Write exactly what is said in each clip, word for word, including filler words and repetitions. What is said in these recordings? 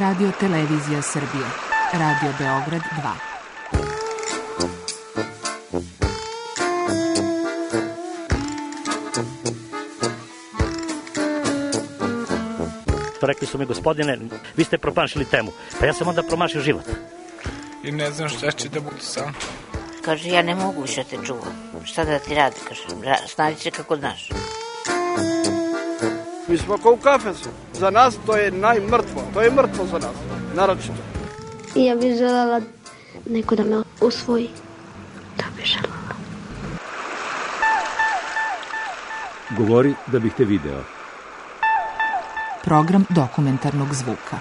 Radio Televizija Srbije. Radio Beograd dva. Rekli su mi, gospodine, vi ste promašili temu. Pa ja sam onda promašio život. I ne znam šta će da bude sam. Kaže, ja ne mogu više te čuvam. Šta da ti radi, kaže, snađi se kako znaš. Mi smo kao u kafesu. Za nas to je najmrtvo. To je mrtvo za nas, naročito. I ja bih želela neko da me usvoji. To bih želela. Govori da bih te video. Program dokumentarnog zvuka.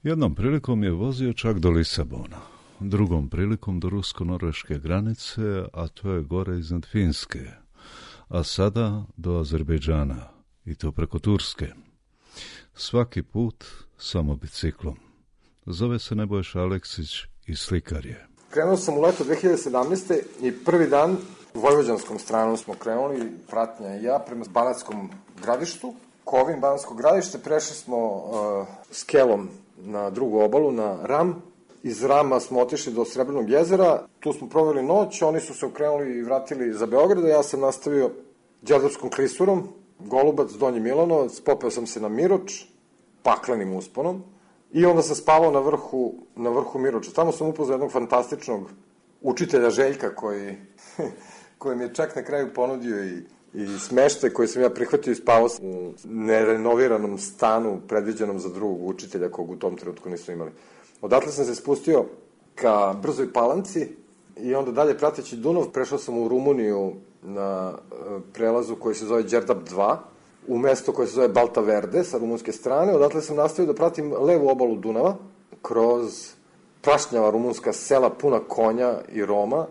Jednom prilikom je vozio čak do Lisabona, drugom prilikom do rusko-norveške granice, a to je gore iznad Finske, a sada do Azerbejdžana, i to preko Turske. Svaki put samo biciklom. Zove se Nebojša Aleksić i slikar je. Krenuo sam u leto dve hiljade sedamnaeste. i prvi dan vojvođanskom stranom smo krenuli, pratnja i ja, prema Banatskom Gradištu. Kovin, Banatsko Gradište, prešli smo uh, skelom na drugu obalu, na Ram. Iz Rama smo otišli do Srebrnog jezera, tu smo proveli noć, oni su se okrenuli i vratili za Beograd, ja sam nastavio Đerdapskom klisurom, Golubac, Donji Milanovac, popeo sam se na Miroč, paklenim usponom, i onda sam spavao na vrhu, na vrhu Miroča. Tamo sam upoznao jednog fantastičnog učitelja Željka, koji, koji mi je čak na kraju ponudio i i smeštaj koji sam ja prihvatio i spavao u nerenoviranom stanu predviđenom za drugog učitelja kog u tom trenutku nisu imali. Odatle sam se spustio ka Brzoj Palanci i onda dalje prateći Dunav prešao sam u Rumuniju na prelazu koji se zove Đerdap dva, u mesto koje se zove Balta Verde sa rumunske strane. Odatle sam nastavio da pratim levu obalu Dunava kroz prašnjava rumunska sela puna konja i Roma,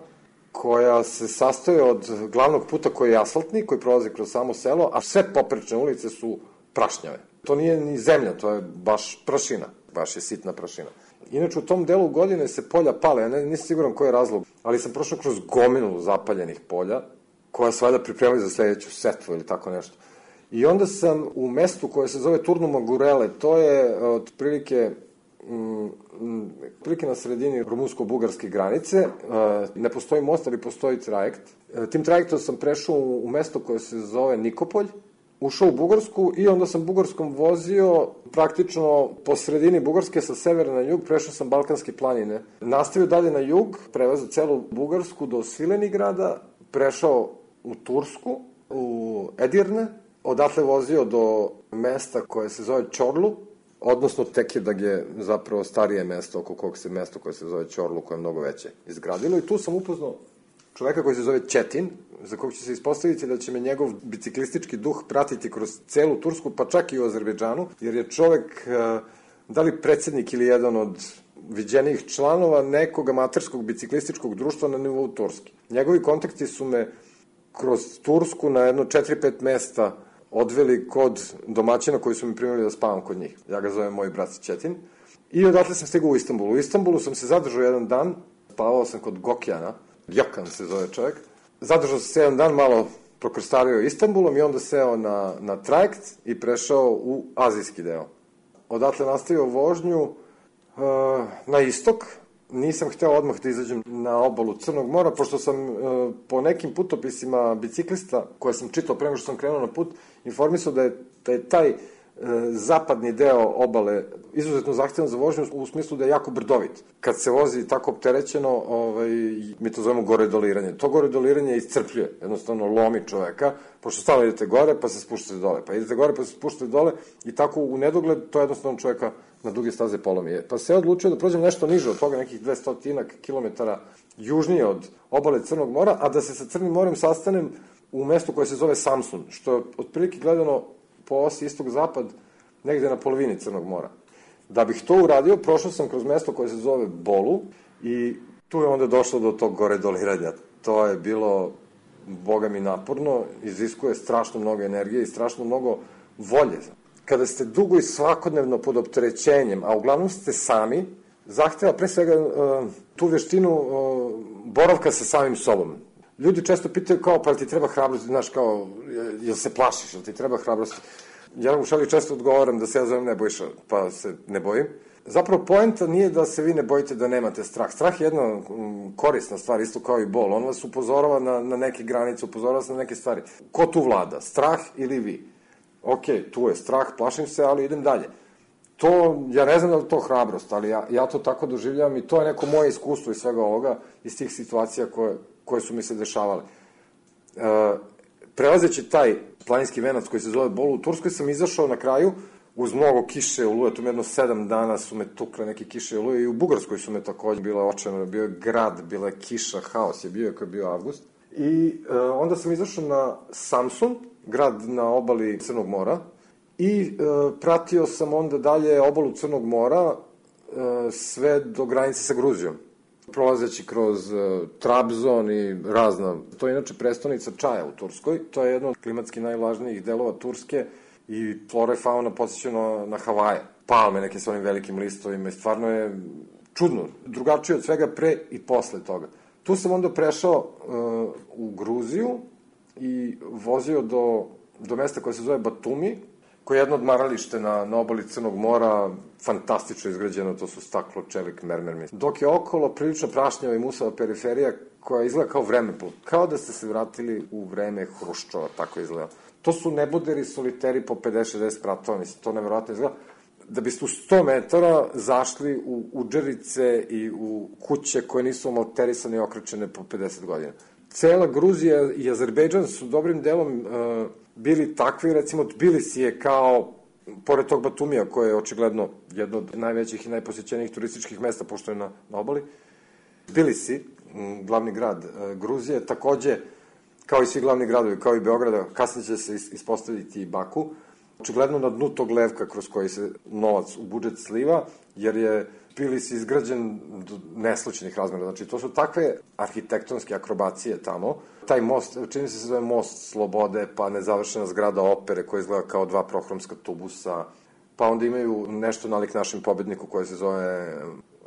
koja se sastoji od glavnog puta koji je asfaltni, koji prolazi kroz samo selo, a sve poprečne ulice su prašnjave. To nije ni zemlja, to je baš prašina, baš je sitna prašina. Inače, u tom delu godine se polja pale, ja ne, nisam siguran koji je razlog, ali sam prošao kroz gomilu zapaljenih polja, koja se valjda pripremali za sledeću setvu ili tako nešto. I onda sam u mestu koje se zove Turnuma Gurele, to je otprilike prilike na sredini rumunsko-bugarske granice, ne postoji most, ali postoji trajekt. Tim trajektom sam prešao u mesto koje se zove Nikopolj, ušao u Bugarsku i onda sam Bugarskom vozio praktično po sredini Bugarske sa severa na jug, prešao sam Balkanske planine. Nastavio dalje na jug, prevezao celu Bugarsku do Svilenigrada, prešao u Tursku, u Edirne, odatle vozio do mesta koje se zove Čorlu, odnosno Tekirdağ je zapravo starije mesto oko kog se mesto koje se zove Čorlu, koje je mnogo veće, izgradilo. I tu sam upoznao čoveka koji se zove Četin, za kog će se ispostaviti da će me njegov biciklistički duh pratiti kroz celu Tursku, pa čak i u Azerbejdžanu, jer je čovek, da li predsednik ili jedan od viđenijih članova nekog amaterskog biciklističkog društva na nivou Turske. Njegovi kontakti su me kroz Tursku na jedno četiri pet mesta odveli kod domaćina koji su mi primili da spavam kod njih. Ja ga zovem moj brat Četin. I odatle sam stigao u Istanbulu. U Istanbulu sam se zadržao jedan dan, spavao sam kod Gokjana, Gjokan se zove čovjek. Zadržao sam se jedan dan, malo prokrstario Istanbulom i onda seo na, na trajekt i prešao u azijski deo. Odatle nastavio vožnju uh, na istok. Nisam hteo odmah da izađem na obalu Crnog mora, pošto sam uh, po nekim putopisima biciklista koje sam čitao pre nego što sam krenuo na put, informisao da je, da je taj uh, zapadni deo obale izuzetno zahtevan za vožnju u smislu da je jako brdovit. Kad se vozi tako opterećeno, ovaj, mi to zovemo goredoliranje. To goredoliranje iscrpljuje, jednostavno lomi čoveka, pošto stalo idete gore pa se spuštate dole, pa idete gore pa se spuštate dole i tako u nedogled to jednostavno čoveka na duge staze polomi. Pa se odlučio da prođem nešto niže od toga, nekih dvesta kilometara južnije od obale Crnog mora, a da se sa Crnim morem sastanem u mestu koje se zove Samsun, što je otprilike gledano po osi istog-zapad negde na polovini Crnog mora. Da bih to uradio, prošao sam kroz mesto koje se zove Bolu i tu je onda došlo do tog goredoliranja. To je bilo, boga mi, naporno, iziskuje strašno mnogo energije i strašno mnogo volje. Kada ste dugo i svakodnevno pod opterećenjem, a uglavnom ste sami, zahteva pre svega uh, tu veštinu uh, boravka sa samim sobom. ljudi često pitaju kao, pa ti treba hrabrost, znaš, kao, jel se plašiš, jel ti treba hrabrost? Ja u šali često odgovaram da se ja zovem Nebojša, pa se ne bojim. Zapravo, poenta nije da se vi ne bojite da nemate strah. Strah je jedna korisna stvar, isto kao i bol. On vas upozorava na, na neke granice, upozorava vas na neke stvari. Ko tu vlada? Strah ili vi? Ok, tu je strah, plašim se, ali idem dalje. To, ja ne znam da je to hrabrost, ali ja, ja to tako doživljavam i to je neko moje iskustvo iz svega ovoga, iz tih situacija koje, koje su mi se dešavale. E, prelazeći taj planinski venac koji se zove Bolu u Turskoj, sam izašao na kraju uz mnogo kiše i oluje, tu jedno sedam dana su me tukle neke kiše i oluje i u Bugarskoj su me takođe bile očajno, bio je grad, bila je kiša, haos je bio, ako je bio avgust. I e, onda sam izašao na Samsun, grad na obali Crnog mora, i e, pratio sam onda dalje obalu Crnog mora e, sve do granice sa Gruzijom. Prolazeći kroz e, Trabzon i razna, to je inače prestonica čaja u Turskoj, to je jedno od klimatski najvlažnijih delova Turske i flora i fauna podsjeća na, na Havaje. Palme neke sa onim velikim listovima i stvarno je čudno, drugačije od svega pre i posle toga. Tu sam onda prešao e, u Gruziju i vozio do, do mesta koje se zove Batumi, koje je jedno odmaralište na, na obali Crnog mora, fantastično izgrađeno, to su staklo, čelik, mermer. Dok je okolo prilično prašnjava i musava periferija koja izgleda kao vremeplov, kao da ste se vratili u vreme Hruščova, tako izgleda. To su neboderi, soliteri po pedeset šezdeset spratova, mislim, to nevjerojatno izgleda. Da biste u sto metara zašli u udžerice i u kuće koje nisu omalterisane i okrećene po pedeset godina. Cela Gruzija i Azerbejdžan su dobrim delom uh, bili takvi, recimo Tbilisi je kao, pored tog Batumija, koje je očigledno jedno od najvećih i najposećenijih turističkih mesta, pošto je na, na obali, Tbilisi, glavni grad uh, Gruzije, takođe, kao i svi glavni gradovi, kao i Beograda, kasnije će se ispostaviti i Baku, očigledno na dnu tog levka kroz koji se novac u budžet sliva, jer je Tbilisi izgrađen do neslučenih razmera. Znači, to su takve arhitektonske akrobacije tamo. Taj most, čini se se zove most Slobode, pa nezavršena zgrada opere koja izgleda kao dva prohromska tubusa, pa onda imaju nešto nalik našem pobedniku koje se zove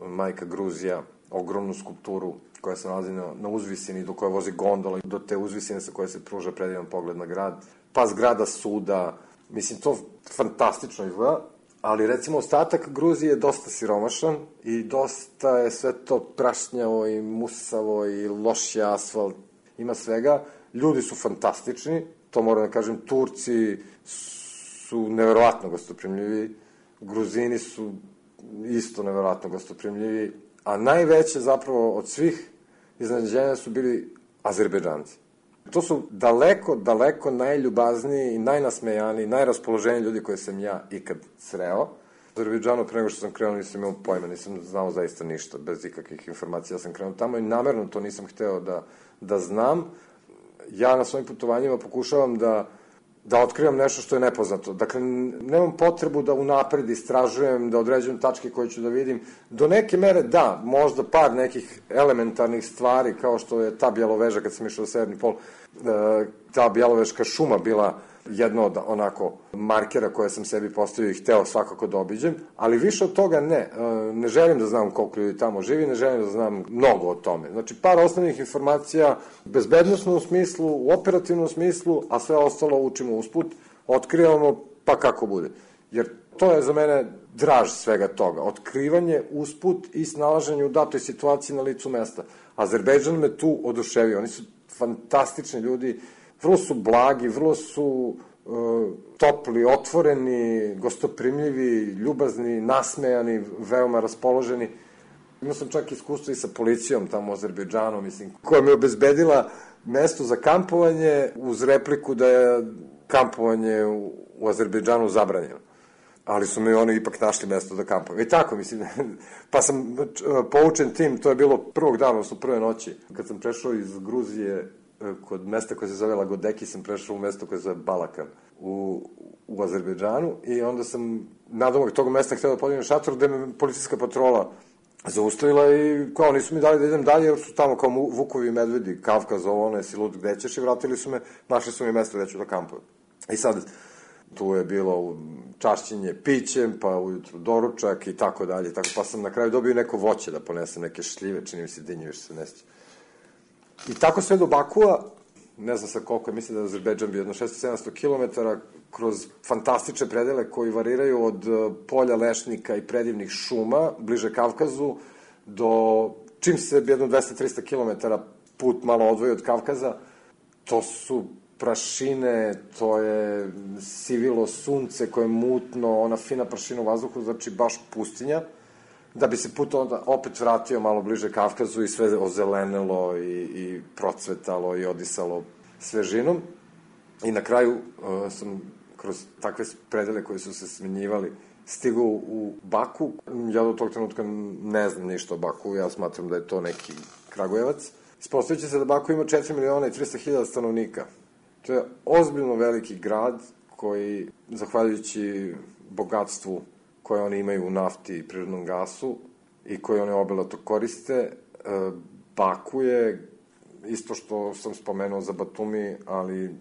Majka Gruzija, ogromnu skulpturu koja se nalazi na, na uzvisini, do koje vozi gondola, do te uzvisine sa koje se pruža predivan pogled na grad, pa zgrada suda. Mislim, to fantastično izgleda, ali recimo ostatak Gruzije je dosta siromašan i dosta je sve to prašnjavo i musavo i loš je asfalt, ima svega. Ljudi su fantastični, to moram da kažem, Turci su neverovatno gostoprimljivi, Gruzini su isto neverovatno gostoprimljivi, a najveće zapravo od svih iznenađenja su bili Azerbejdžanci. To su daleko, daleko najljubazniji i najnasmejaniji, najraspoloženiji ljudi koje sam ja ikad sreo. U Azerbejdžanu, pre nego što sam krenuo, nisam imao pojma, nisam znao zaista ništa, bez ikakvih informacija sam krenuo tamo i namerno to nisam hteo da, da znam. Ja na svojim putovanjima pokušavam da, da otkrivam nešto što je nepoznato. Dakle, nemam potrebu da unapred istražujem, da određujem tačke koje ću da vidim. Do neke mere, da, možda par nekih elementarnih stvari, kao što je ta bjeloveža, kad sam išao u Severni pol, ta bjeloveška šuma bila jedno od onako markera koje sam sebi postavio i hteo svakako da obiđem, ali više od toga ne. Ne želim da znam koliko ljudi tamo živi, ne želim da znam mnogo o tome. Znači, par osnovnih informacija u bezbednostnom smislu, u operativnom smislu, a sve ostalo učimo usput, otkrivamo pa kako bude. Jer to je za mene draž svega toga. Otkrivanje usput i snalaženje u datoj situaciji na licu mesta. Azerbejdžan me tu oduševio. Oni su fantastični ljudi, vrlo su blagi, vrlo su e, topli, otvoreni, gostoprimljivi, ljubazni, nasmejani, veoma raspoloženi. Imao sam čak iskustvo i sa policijom tamo u Azerbejdžanu, mislim, koja mi je obezbedila mesto za kampovanje uz repliku da je kampovanje u, u Azerbejdžanu zabranjeno. Ali su mi oni ipak našli mesto da kampujem. I tako, mislim, pa sam poučen tim, to je bilo prvog dana, odnosno prve noći, kad sam prešao iz Gruzije kod mesta koje se zove Lagodeki, sam prešao u mesto koje se zove Balakan u, u Azerbejdžanu i onda sam nadomak tog mesta htio da podignem šator gde me policijska patrola zaustavila i kao nisu mi dali da idem dalje jer su tamo kao vukovi i medvedi, Kavkaz, ovo, ono, jesi lud, gde ćeš, i vratili su me, našli su mi mesto gde ću da kampujem. I sad, tu je bilo čašćenje pićem, pa ujutru doručak i tako dalje, tako, pa sam na kraju dobio neko voće da ponesem, neke šljive, čini mi se dinje, više se neće. I tako sve do Bakua, ne znam sa koliko je, mislim da je Azerbejdžan bio jedno šesto sedamsto kilometara, kroz fantastične predele koji variraju od polja lešnika i predivnih šuma, bliže Kavkazu, do čim se jedno dvesta do trista kilometara put malo odvoji od Kavkaza, to su prašine, to je sivilo sunce koje je mutno, ona fina prašina u vazduhu, znači baš pustinja, da bi se put onda opet vratio malo bliže Kavkazu i sve ozelenelo i, i procvetalo i odisalo svežinom. I na kraju uh, sam kroz takve predele koje su se smenjivali stigao u Baku. Ja do tog trenutka ne znam ništa o Baku, ja smatram da je to neki Kragujevac. Ispostavit se da Baku ima četiri miliona i trista hiljada stanovnika. To je ozbiljno veliki grad koji, zahvaljujući bogatstvu koje oni imaju u nafti i prirodnom gasu i koje one obilato koriste, Baku je, isto što sam spomenuo za Batumi, ali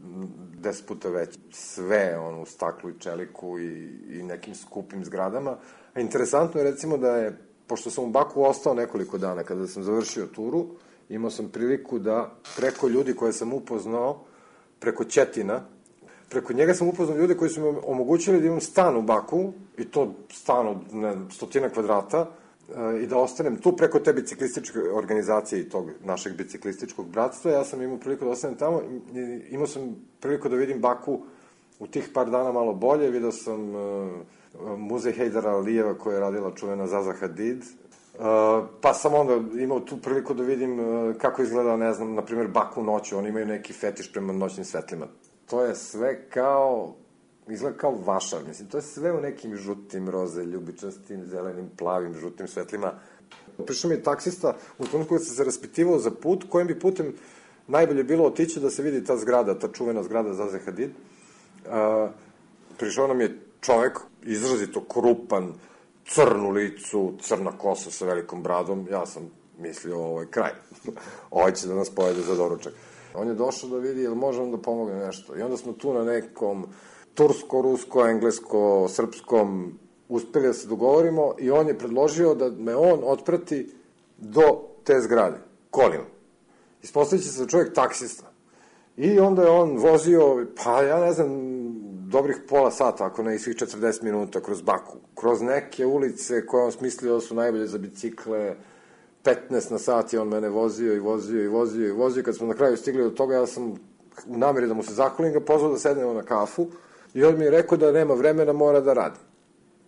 deset puta veći. Sve ono u staklu i čeliku i, i nekim skupim zgradama. A interesantno je recimo da je, pošto sam u Baku ostao nekoliko dana kada sam završio turu, imao sam priliku da preko ljudi koje sam upoznao, preko Ćetina, preko njega sam upoznao ljude koji su mi omogućili da imam stan u Baku, i to stan od ne, stotina kvadrata, i da ostanem tu preko te biciklističke organizacije i tog našeg biciklističkog bratstva. Ja sam imao priliku da ostanem tamo, imao sam priliku da vidim Baku u tih par dana malo bolje, vidio sam uh, muzej Hejdara Alijeva koja je radila čuvena Zaza Hadid, uh, pa sam onda imao tu priliku da vidim uh, kako izgleda, ne znam, na primjer Baku noću, oni imaju neki fetiš prema noćnim svetlima. To je sve kao, izgleda kao vašar, mislim, to je sve u nekim žutim, roze, ljubičastim, zelenim, plavim, žutim svetlima. Prišao mi je taksista u trenutku kada sam se raspitivao za put, kojim bi putem najbolje bilo otići da se vidi ta zgrada, ta čuvena zgrada Zaze Hadid. Uh, prišao nam je čovek, izrazito krupan, crnu licu, crna kosa sa velikom bradom. Ja sam mislio, ovo je kraj. Ovo će da nas pojede za doručak. On je došao da vidi, jel može on da pomogne nešto. I onda smo tu na nekom tursko, rusko, englesko, srpskom uspeli da se dogovorimo i on je predložio da me on otprati do te zgrade, kolima. Ispostavit će se čovjek taksista. I onda je on vozio, pa ja ne znam, dobrih pola sata, ako ne i svih četrdeset minuta, kroz Baku. Kroz neke ulice koje on smislio da su najbolje za bicikle, petnaest na sat je on mene vozio i vozio i vozio i vozio. Kad smo na kraju stigli do toga, ja sam u nameri da mu se zahvalim ga pozvao da sednemo na kafu i on mi je rekao da nema vremena, mora da radi.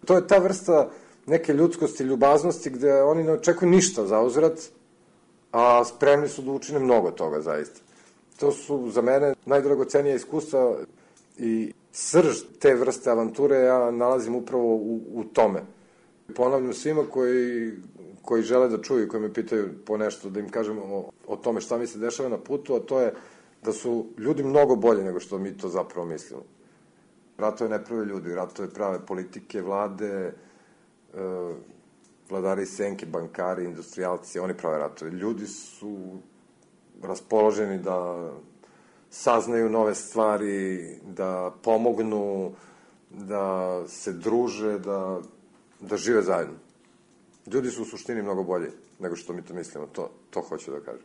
To je ta vrsta neke ljudskosti, ljubaznosti, gde oni ne očekuju ništa za uzvrat, a spremni su da učine mnogo toga, zaista. To su za mene najdragocenija iskustva i srž te vrste avanture ja nalazim upravo u, u tome. Ponavljam svima koji, koji žele da čuju, koji me pitaju po nešto, da im kažem o, o tome šta mi se dešava na putu, a to je da su ljudi mnogo bolji nego što mi to zapravo mislimo. Ratove ne prave ljudi, ratove prave politike, vlade, e, vladari senke, bankari, industrijalci, oni prave ratove. Ljudi su raspoloženi da saznaju nove stvari, da pomognu, da se druže, da, da žive zajedno. Ljudi su u suštini mnogo bolji nego što mi to mislimo, to, to hoću da kažem.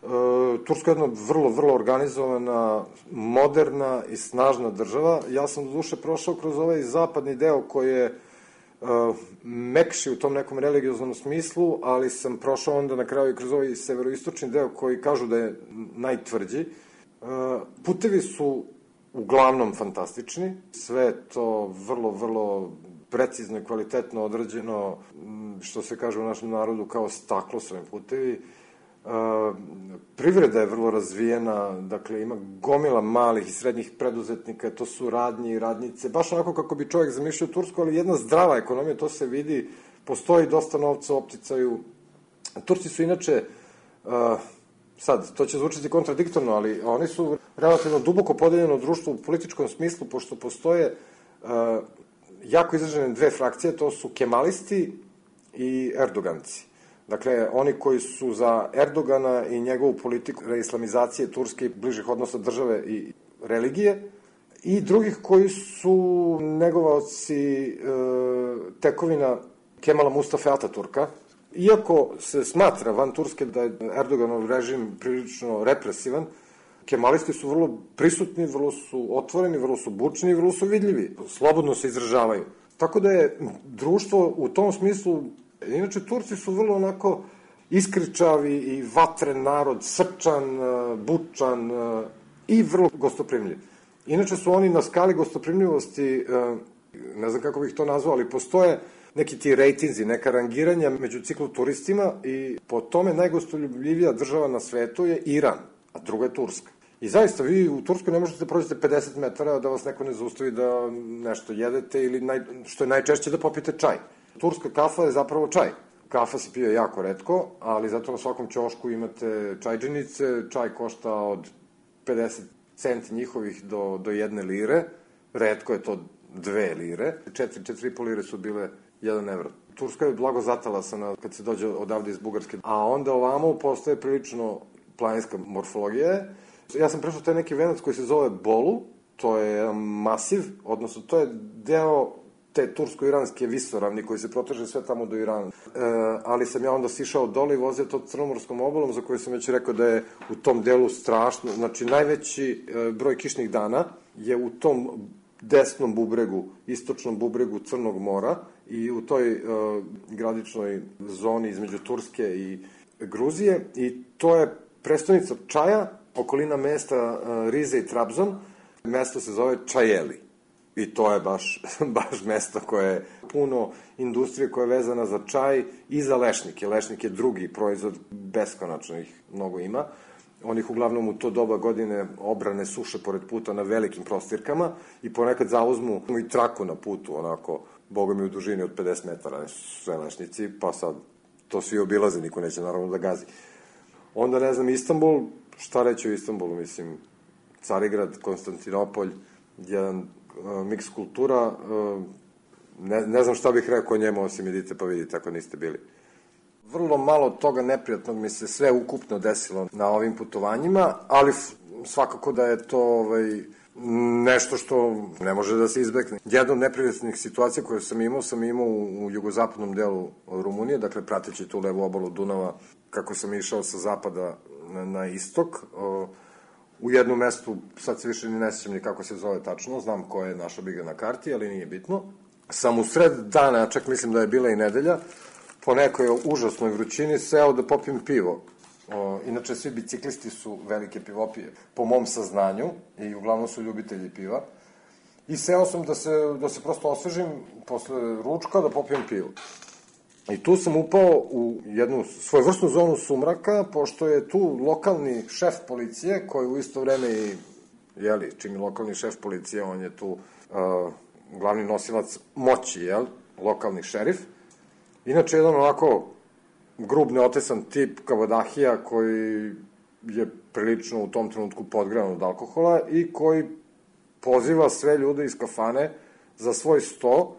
E, Turska je jedna vrlo, vrlo organizovana, moderna i snažna država. Ja sam do duše prošao kroz ovaj zapadni deo koji je uh, mekši u tom nekom religioznom smislu, ali sam prošao onda na kraju i kroz ovaj severoistočni deo koji kažu da je najtvrđi. Uh, putevi su uglavnom fantastični, sve je to vrlo, vrlo precizno i kvalitetno odrađeno, što se kaže u našem narodu kao staklo su ovim putevi. Uh, privreda je vrlo razvijena, dakle ima gomila malih i srednjih preduzetnika, to su radnji i radnice, baš onako kako bi čovjek zamišljao Tursku, ali jedna zdrava ekonomija, to se vidi, postoji dosta novca u opticaju. Turci su inače, uh, sad, to će zvučiti kontradiktorno, ali oni su relativno duboko podeljeno društvo u političkom smislu, pošto postoje uh, jako izražene dve frakcije, to su kemalisti i erdoganci. Dakle, oni koji su za Erdogana i njegovu politiku reislamizacije Turske i bližih odnosa države i religije, i drugih koji su negovaoci e, tekovina Kemala Mustafe Ataturka, Iako se smatra van Turske da je Erdoganov režim prilično represivan, kemalisti su vrlo prisutni, vrlo su otvoreni, vrlo su bučni i vrlo su vidljivi. Slobodno se izražavaju. Tako da je društvo u tom smislu, inače Turci su vrlo onako iskričavi i vatren narod, srčan, bučan i vrlo gostoprimljiv. Inače su oni na skali gostoprimljivosti, ne znam kako bih to nazvao, ali postoje neki ti rejtinzi, neka rangiranja među cikloturistima i po tome najgostoljubljivija država na svetu je Iran, a druga je Turska. I zaista, vi u Turskoj ne možete da prođete pedeset metara da vas neko ne zaustavi da nešto jedete ili, naj, što je najčešće, da popijete čaj. Turska kafa je zapravo čaj. Kafa se pije jako retko, ali zato na svakom ćošku imate čajđenice, čaj košta od pedeset centi njihovih do, do jedne lire, retko je to dve lire, četiri, četiri i po lire su bile jedan evro. Turska je blago zatalasana kad se dođe odavde iz Bugarske, a onda ovamo postaje prilično planinska morfologija. Ja sam prešao taj neki venac koji se zove Bolu, to je jedan masiv, odnosno to je deo te tursko-iranske visoravni koji se proteže sve tamo do Irana. E, ali sam ja onda sišao dole i vozio to crnomorskom obalom za koju sam već rekao da je u tom delu strašno. Znači, najveći e, broj kišnih dana je u tom desnom bubregu, istočnom bubregu Crnog mora i u toj e, graničnoj zoni između Turske i Gruzije i to je prestonica čaja, okolina mesta e, Rize i Trabzon. Mesto se zove Čajeli. I to je baš, baš mesto koje je puno industrije koja je vezana za čaj i za lešnike. Lešnik je drugi proizvod, beskonačno ih mnogo ima. Oni ih uglavnom u to doba godine obrane suše pored puta na velikim prostirkama i ponekad zauzmu i traku na putu, onako, boga mi u dužini od pedeset metara, sve lešnici, pa sad to svi obilaze, niko neće naravno da gazi. Onda, ne znam, Istanbul, šta reći o Istanbulu, mislim, Carigrad, Konstantinopolj, jedan miks kultura, ne, ne znam šta bih rekao o njemu, osim idite pa vidite ako niste bili. Vrlo malo toga neprijatnog mi se sve ukupno desilo na ovim putovanjima, ali svakako da je to ovaj, nešto što ne može da se izbekne. Jedna od neprijatnih situacija koje sam imao, sam imao u, u jugozapadnom delu Rumunije, dakle prateći tu levu obalu Dunava, kako sam išao sa zapada na, na istok, o, u jednom mestu, sad se više ni ne sjećam ni kako se zove tačno, znam ko je našao bi ga na karti, ali nije bitno. Sam u sred dana, čak mislim da je bila i nedelja, po nekoj užasnoj vrućini seo da popijem pivo. O, inače, svi biciklisti su velike pivopije, po mom saznanju, i uglavnom su ljubitelji piva. I seo sam da se, da se prosto osvežim posle ručka da popijem pivo. I tu sam upao u jednu svojevrsnu zonu sumraka, pošto je tu lokalni šef policije, koji u isto vreme i, jeli, čim je lokalni šef policije, on je tu uh, glavni nosilac moći, jel, lokalni šerif. Inače, jedan onako grub, neotesan tip kabadahija koji je prilično u tom trenutku podgrevan od alkohola i koji poziva sve ljude iz kafane za svoj sto,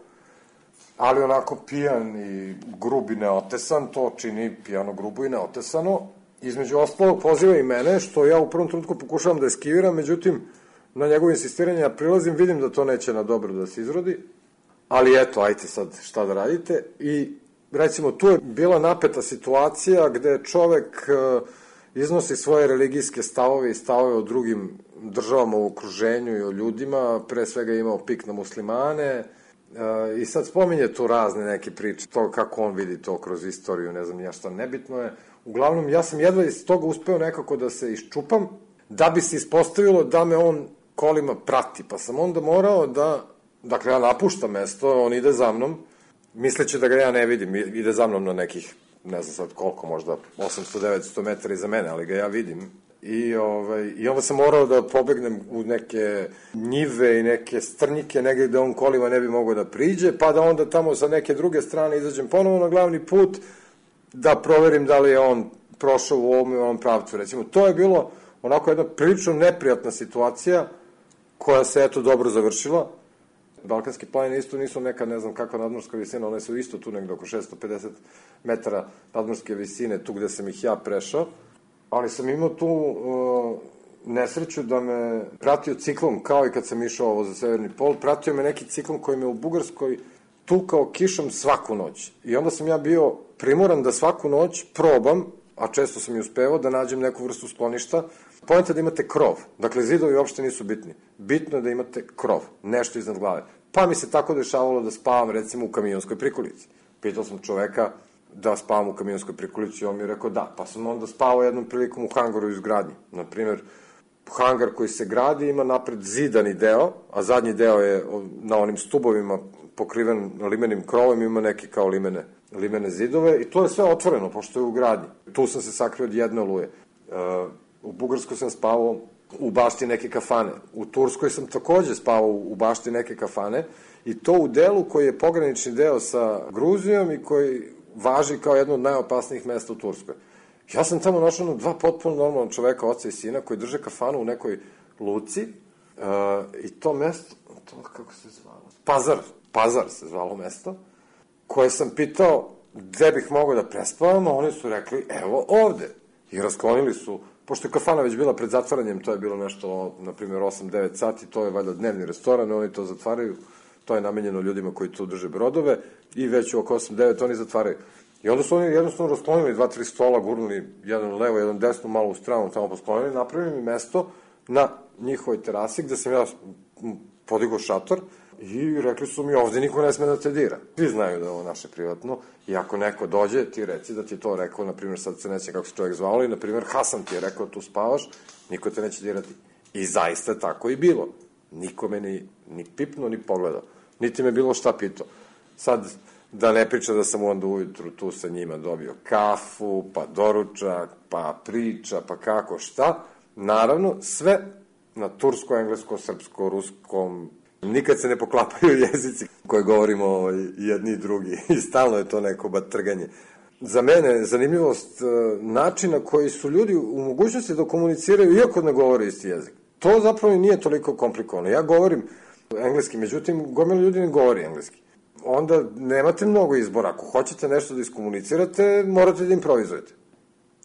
ali onako pijan i grub i neotesan, to čini pijano, grubo i neotesano. Između ostalog poziva i mene, što ja u prvom trenutku pokušavam da eskiviram, međutim, na njegovo insistiranje ja prilazim, vidim da to neće na dobro da se izrodi, ali eto, ajte sad šta da radite. I recimo, tu je bila napeta situacija gde čovek iznosi svoje religijske stavove i stavove o drugim državama u okruženju i o ljudima, pre svega imao pik na muslimane, i sad spominje tu razne neke priče, to kako on vidi to kroz istoriju, ne znam ja šta, nebitno je. Uglavnom, ja sam jedva iz toga uspeo nekako da se iščupam, da bi se ispostavilo da me on kolima prati, pa sam onda morao da, dakle, ja napuštam mesto, on ide za mnom, misleći da ga ja ne vidim, ide za mnom na nekih, ne znam sad koliko, možda osamsto do devetsto metara iza mene, ali ga ja vidim. I, ovaj, I onda sam morao da pobegnem u neke njive i neke strnjike, negde gde on kolima ne bi mogao da priđe, pa da onda tamo sa neke druge strane izađem ponovo na glavni put, da proverim da li je on prošao u ovom i ovom pravcu. Recimo, to je bilo onako jedna prilično neprijatna situacija, koja se eto dobro završila. Balkanske planine isto nisu neka, ne znam kakva nadmorska visina, one su isto tu negde oko šesto pedeset metara nadmorske visine, tu gde sam ih ja prešao. Ali sam imao tu uh, nesreću da me pratio ciklon, kao i kad sam išao ovo za Severni pol, pratio me neki ciklon koji me u Bugarskoj tukao kišom svaku noć. I onda sam ja bio primoran da svaku noć probam, a često sam i uspevao, da nađem neku vrstu skloništa. Pojenta da imate krov. Dakle, zidovi uopšte nisu bitni. Bitno je da imate krov, nešto iznad glave. Pa mi se tako dešavalo da spavam, recimo, u kamionskoj prikolici. Pitao sam čoveka da spavam u kamionskoj prikolici i on mi je rekao da. Pa sam onda spavao jednom prilikom u hangaru iz gradnji. Naprimer, hangar koji se gradi ima napred zidani deo, a zadnji deo je na onim stubovima pokriven limenim krovom, ima neke kao limene, limene zidove i to je sve otvoreno, pošto je u gradnji. Tu sam se sakrio od jedne oluje. Uh, u Bugarskoj sam spavao u bašti neke kafane. U Turskoj sam takođe spavao u bašti neke kafane i to u delu koji je pogranični deo sa Gruzijom i koji važi kao jedno od najopasnijih mesta u Turskoj. Ja sam tamo našao na dva potpuno normalna čoveka, oca i sina, koji drže kafanu u nekoj luci uh, i to mesto, to kako se zvalo? Pazar. Pazar se zvalo mesto, koje sam pitao gde bih mogao da prespavam, a oni su rekli, evo ovde. I rasklonili su, pošto je kafana već bila pred zatvaranjem, to je bilo nešto, na primjer, osam devet sati, to je valjda dnevni restoran, oni to zatvaraju, to je namenjeno ljudima koji tu drže brodove, i već oko osam devet oni zatvaraju. I onda su oni jednostavno rasklonili dva, tri stola, gurnuli jedan levo, jedan desno, malo u stranu, tamo posklonili, napravili mi mesto na njihovoj terasi, gde sam ja podigao šator, i rekli su mi, ovde niko ne sme da te dira. Svi znaju da je ovo naše privatno i ako neko dođe, ti reci da ti je to rekao, na primjer, sad se neće kako se čovjek zvao, i na primjer, Hasan ti je rekao tu spavaš, niko te neće dirati. I zaista tako i bilo. Niko me ni, ni pipnuo, ni pogledao. Niti me bilo šta pitao. Sad, da ne priča da sam onda ujutru tu sa njima dobio kafu, pa doručak, pa priča, pa kako šta. Naravno, sve na tursko, englesko, srpsko, ruskom. Nikad se ne poklapaju jezici koje govorimo jedni i drugi i stalno je to neko batrganje. Za mene zanimljivost načina koji su ljudi u mogućnosti da komuniciraju iako ne govore isti jezik. To zapravo nije toliko komplikovano. Ja govorim engleski, međutim, gomila ljudi ne govori engleski. Onda nemate mnogo izbora. Ako hoćete nešto da iskomunicirate, morate da improvizujete.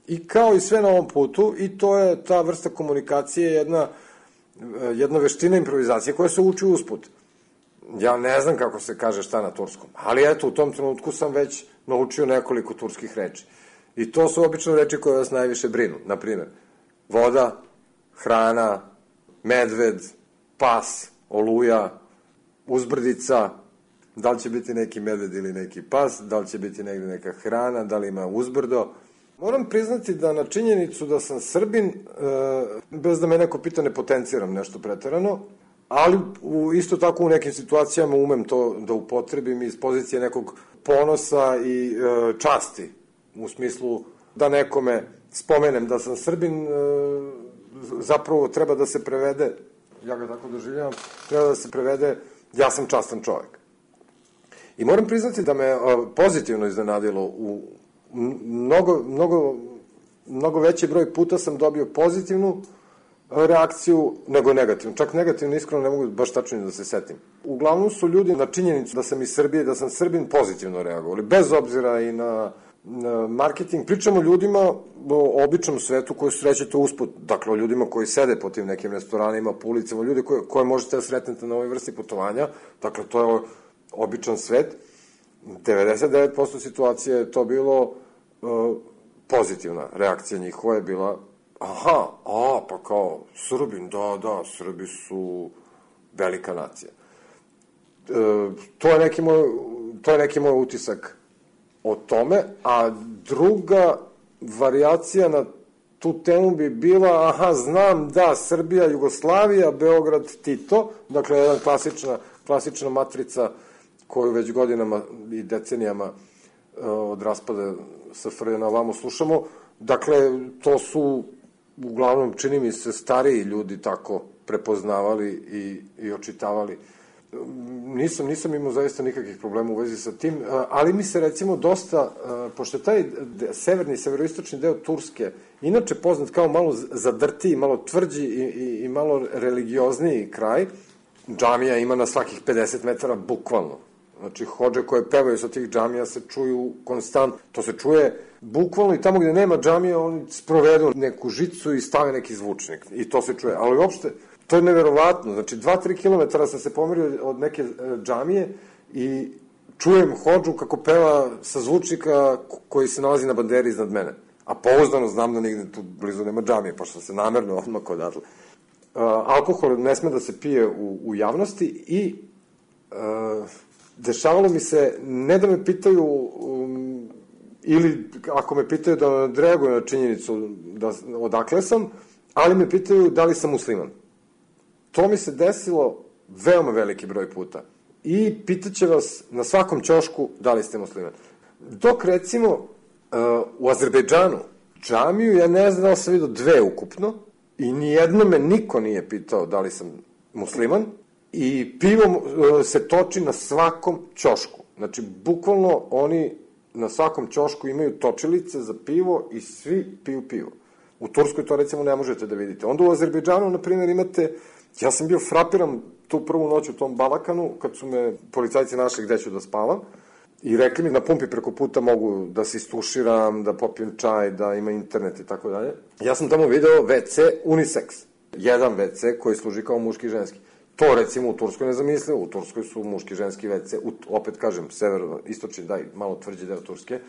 I kao i sve na ovom putu, i to je ta vrsta komunikacije, jedna jedna veština improvizacije koja se uči usput. Ja ne znam kako se kaže šta na turskom, ali eto, u tom trenutku sam već naučio nekoliko turskih reči. I to su obično reči koje vas najviše brinu. Naprimjer, voda, hrana, medved, pas, oluja, uzbrdica, da li će biti neki medved ili neki pas, da li će biti negde neka hrana, da li ima uzbrdo. Moram priznati da na činjenicu da sam Srbin, e, bez da me neko pita, ne potenciram nešto preterano, ali u, isto tako u nekim situacijama umem to da upotrebim iz pozicije nekog ponosa i e, časti, u smislu da nekome spomenem da sam Srbin, e, zapravo treba da se prevede, ja ga tako doživljavam, treba da se prevede ja sam častan čovek. I moram priznati da me e, pozitivno iznenadilo u Mnogo, mnogo, mnogo veći broj puta sam dobio pozitivnu reakciju nego negativnu. Čak negativno, iskreno, ne mogu baš tačno da se setim. Uglavnom su ljudi na činjenicu da sam iz Srbije, da sam Srbin, pozitivno reagovali. Bez obzira i na, na marketing. Pričamo o ljudima, o običnom svetu koji srećete usput. Dakle, o ljudima koji sede po tim nekim restoranima, po ulicama, ljudi koje, koje možete da sretnete na ovoj vrsti putovanja. Dakle, to je običan svet. devedeset devet posto situacije je to bilo uh, pozitivna reakcija njihova je bila aha, a, pa kao Srbin, da, da, Srbi su velika nacija. E, to je neki moj, to je neki moj utisak o tome, a druga varijacija na tu temu bi bila, aha, znam, da, Srbija, Jugoslavija, Beograd, Tito, dakle, jedna klasična, klasična matrica koju već godinama i decenijama uh, od raspada S F R J na ovamo slušamo. Dakle, to su, uglavnom, čini mi se, stariji ljudi tako prepoznavali i, i očitavali. Nisam, nisam imao zaista nikakvih problema u vezi sa tim, uh, ali mi se, recimo, dosta, uh, pošto je taj severni, severoistočni deo Turske, inače poznat kao malo zadrtiji, malo tvrđi i, i, i malo religiozniji kraj, džamija ima na svakih pedeset metara, bukvalno. Znači, hodže koje pevaju sa tih džamija se čuju konstantno. To se čuje bukvalno i tamo gde nema džamija, oni sprovedu neku žicu i stave neki zvučnik. I to se čuje. Ali uopšte, to je neverovatno. Znači, dva do tri kilometara sam se pomerio od neke džamije i čujem Hodžu kako peva sa zvučnika koji se nalazi na banderi iznad mene. A pouzdano znam da nigde tu blizu nema džamije, pa što se namerno odmah odatle. Uh, alkohol ne sme da se pije u, u javnosti i uh, dešavalo mi se, ne da me pitaju, um, ili ako me pitaju da odreaguju na činjenicu da, odakle sam, ali me pitaju da li sam musliman. To mi se desilo veoma veliki broj puta. I pitaće vas na svakom ćošku da li ste musliman. Dok recimo uh, u Azerbejdžanu džamiju, ja ne znam da li sam vidio dve ukupno, i nijedno me niko nije pitao da li sam musliman, i pivo uh, se toči na svakom ćošku. Znači, bukvalno oni na svakom ćošku imaju točilice za pivo i svi piju pivo. U Turskoj to recimo ne možete da vidite. Onda u Azerbejdžanu, na primjer, imate, ja sam bio frapiran tu prvu noć u tom Balakanu, kad su me policajci našli gde ću da spavam, i rekli mi na pumpi preko puta mogu da se istuširam, da popijem čaj, da ima internet i tako dalje. Ja sam tamo video ve ce unisex. Jedan ve ce koji služi kao muški i ženski. To recimo u Turskoj ne zamislio, u Turskoj su muški i ženski ve ce, u, opet kažem, severno, istočni, daj, malo tvrđi deo Turske,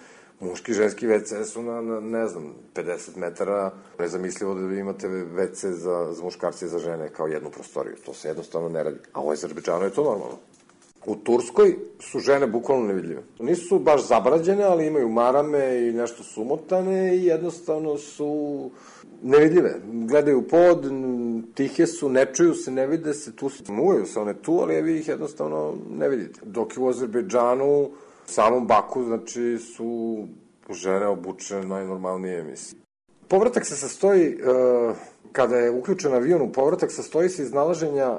muški i ženski ve ce su na, na, ne znam, pedeset metara, nezamislivo da vi imate ve ce za, za muškarce i za žene kao jednu prostoriju, to se jednostavno ne radi, a u Azerbejdžanu je to normalno. U Turskoj su žene bukvalno nevidljive. Nisu baš zabrađene, ali imaju marame i nešto sumotane i jednostavno su nevidljive. Gledaju pod, tihe su, ne čuju se, ne vide se, tu se, muvaju se one tu, ali vi ih jednostavno ne vidite. Dok je u Azerbejdžanu, u samom Baku, znači, su žene obučene najnormalnije emisije. Povratak se sastoji, uh, kada je uključen avion u povratak, sastoji se iz nalaženja uh,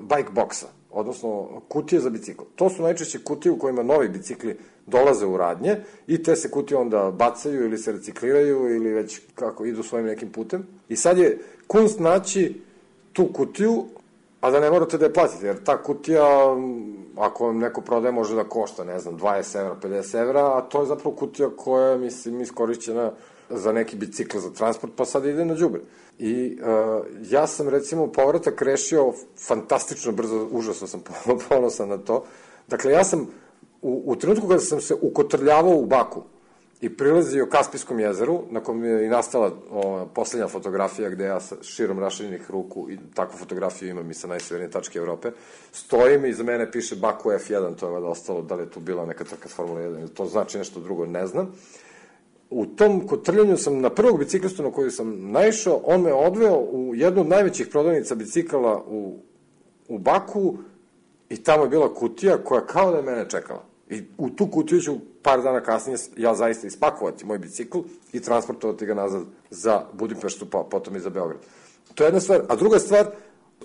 bike boxa, odnosno kutije za bicikl. To su najčešće kutije u kojima novi bicikli dolaze u radnje i te se kutije onda bacaju ili se recikliraju ili već kako idu svojim nekim putem. I sad je kunst naći tu kutiju, a da ne morate da je platite, jer ta kutija, ako vam neko prodaje, može da košta, ne znam, dvadeset evra, pedeset evra, a to je zapravo kutija koja je, mislim, iskorišćena za neki bicikl za transport, pa sad ide na đubre. I uh, ja sam, recimo, povratak rešio fantastično brzo, užasno sam ponosan na to. Dakle, ja sam, u, u trenutku kada sam se ukotrljavao u Baku i prilazio Kaspijskom jezeru, na kom je i nastala o, poslednja fotografija gde ja sa širom raširjenih ruku, i takvu fotografiju imam i sa najsevernije tačke Evrope, stojim i iza mene piše Baku ef jedan, to je vada ostalo, da li je tu bila neka trka Formula jedan, to znači nešto drugo, ne znam. U tom kotrljanju sam na prvog biciklistu na koju sam naišao, on me odveo u jednu od najvećih prodavnica bicikala u, u Baku i tamo je bila kutija koja kao da je mene čekala. I u tu kutiju ću par dana kasnije ja zaista ispakovati moj bicikl i transportovati ga nazad za Budimpeštu, pa potom i za Beograd. To je jedna stvar. A druga stvar,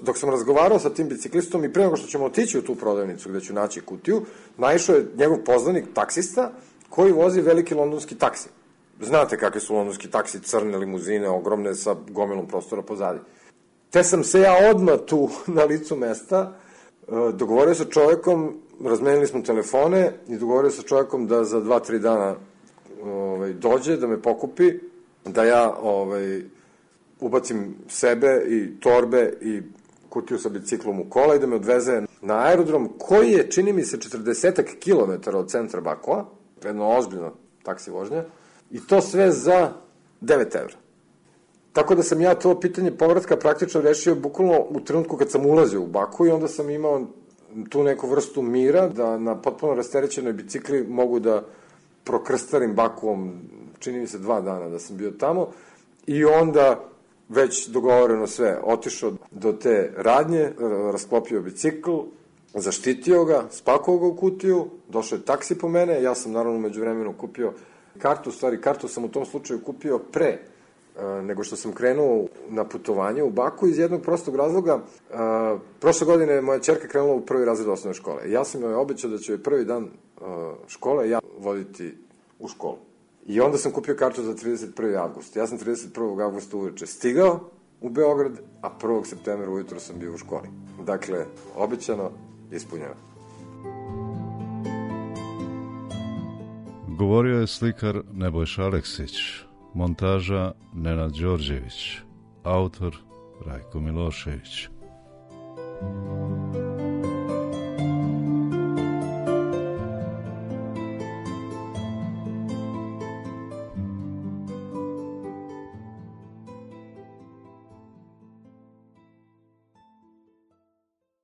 dok sam razgovarao sa tim biciklistom i pre nego što ćemo otići u tu prodavnicu gde ću naći kutiju, naišao je njegov poznanik, taksista, koji vozi veliki londonski taksi. Znate kakve su londonski taksi, crne limuzine, ogromne sa gomilom prostora pozadi. Te sam se ja odmah tu na licu mesta dogovorio sa čovekom, razmenili smo telefone i dogovorio sa čovekom da za dva, tri dana ovaj, dođe, da me pokupi, da ja ovaj, ubacim sebe i torbe i kutiju sa biciklom u kola i da me odveze na aerodrom koji je, čini mi se, četrdesetak kilometara od centra Bakua, jedno ozbiljno taksi vožnja, i to sve za devet evra. Tako da sam ja to pitanje povratka praktično rešio bukvalno u trenutku kad sam ulazio u Baku i onda sam imao tu neku vrstu mira da na potpuno rasterećenoj bicikli mogu da prokrstarim Bakuom, čini mi se dva dana da sam bio tamo, i onda već dogovoreno sve, otišao do te radnje, rasklopio bicikl, zaštitio ga, spakovao ga u kutiju, došao je taksi po mene, ja sam naravno među vremenu kupio kartu, stvari kartu sam u tom slučaju kupio pre nego što sam krenuo na putovanje u Baku iz jednog prostog razloga. A, prošle godine je moja ćerka krenula u prvi razred osnovne škole. Ja sam joj obećao da ću joj prvi dan a, škole ja voditi u školu. I onda sam kupio kartu za trideset prvi avgust. Ja sam trideset prvog avgusta uveče stigao u Beograd, a prvog septembra ujutro sam bio u školi. Dakle, obećano, ispunjeno. Govorio je slikar Nebojša Aleksić, montaža Nenad Đorđević, autor Rajko Milošević.